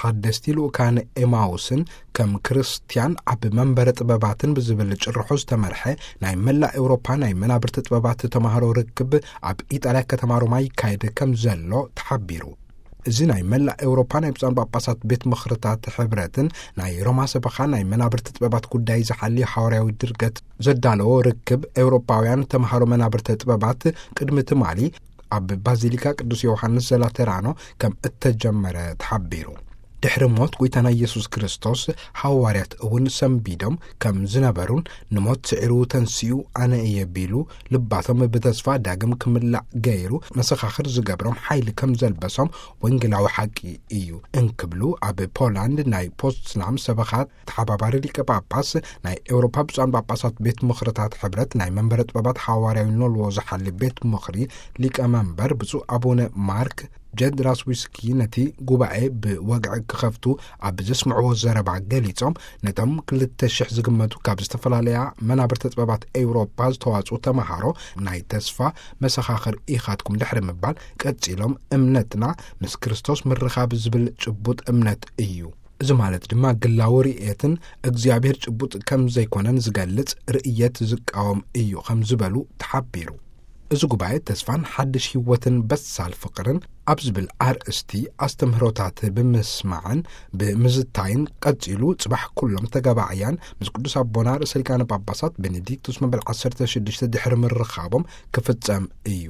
ኣደስቲ ልኡካን ኤማውስን ከም ክርስትያን ኣብ መንበረ ጥበባትን ብዝብል ጭርሖ ዝተመርሐ ናይ መላእ ኤውሮፓ ናይ መናብርቲ ጥበባት ተማሃሮ ርክብ ኣብ ኢጣልያ ከተማ ሮማ ይካየድ ከም ዘሎ ተሓቢሩ። እዚ ናይ መላእ ኤውሮፓ ናይ ብፁዓን ጳጳሳት ቤት ምኽርታት ሕብረትን ናይ ሮማ ሰበኻ ናይ መናብርቲ ጥበባት ጉዳይ ዝሓሊ ሓዋርያዊ ድርገት ዘዳለዎ ርክብ ኤውሮፓውያን ተምሃሮ መናብርቲ ጥበባት ቅድሚ ትማሊ ኣብ ባዚሊካ ቅዱስ ዮሃንስ ዘላተራኖ ከም እተጀመረ ተሓቢሩ። ድሕሪ ሞት ጎይታና ኢየሱስ ክርስቶስ፣ ሓዋርያት እውን ሰንቢዶም ከም ዝነበሩን ንሞት ስዒሩ ተንሲኡ ኣነ እየ ቢሉ ልባቶም ብተስፋ ዳግም ክምላእ ገይሩ መሰኻኽር ዝገብሮም ሓይሊ ከም ዘልበሶም ወንጌላዊ ሓቂ እዩ እንክብሉ ኣብ ፖላንድ ናይ ፖትስናም ሰበኻ ተሓባባሪ ሊቀ ጳጳስ ናይ ኤውሮፓ ብፁዓን ጳጳሳት ቤት ምኽርታት ሕብረት ናይ መንበረ ጥበባት ሓዋርያዊ ኖልዎ ዝሓሊ ቤት ምኽሪ ሊቀ መንበር ብፁዕ ኣቡነ ማርክ ጀድራስዊስኪ ነቲ ጉባኤ ብወግዒ ክኸፍቱ ኣብ ዘስምዕዎ ዘረባ ገሊጾም፣ ነቶም ክልተ ሽሕ ዝግመቱ ካብ ዝተፈላለያ መናብርቲ ጥበባት ኤውሮፓ ዝተዋጽኡ ተማሃሮ ናይ ተስፋ መሰኻኽር ኢኻትኩም ድሕሪ ምባል ቀጺሎም፣ እምነትና ምስ ክርስቶስ ምርኻብ ዝብል ጭቡጥ እምነት እዩ። እዚ ማለት ድማ ግላዊ ርእየትን እግዚኣብሔር ጭቡጥ ከም ዘይኮነን ዝገልጽ ርእየት ዝቃወም እዩ ከም ዝበሉ ተሓቢሩ። እዚ ጉባኤ ተስፋን ሓድሽ ህይወትን በሳል ፍቕርን ኣብ ዝብል ኣርእስቲ ኣስተምህሮታት ብምስማዕን ብምዝታይን ቀጺሉ ጽባሕ ኩሎም ተጋባዕያን ምስ ቅዱስ ኣቦና ርእሰ ሊቃነ ጳጳሳት ቤኔዲክቱስ መበል ዓሰርተ ሽዱሽተ ድሕሪ ምርኻቦም ክፍጸም እዩ።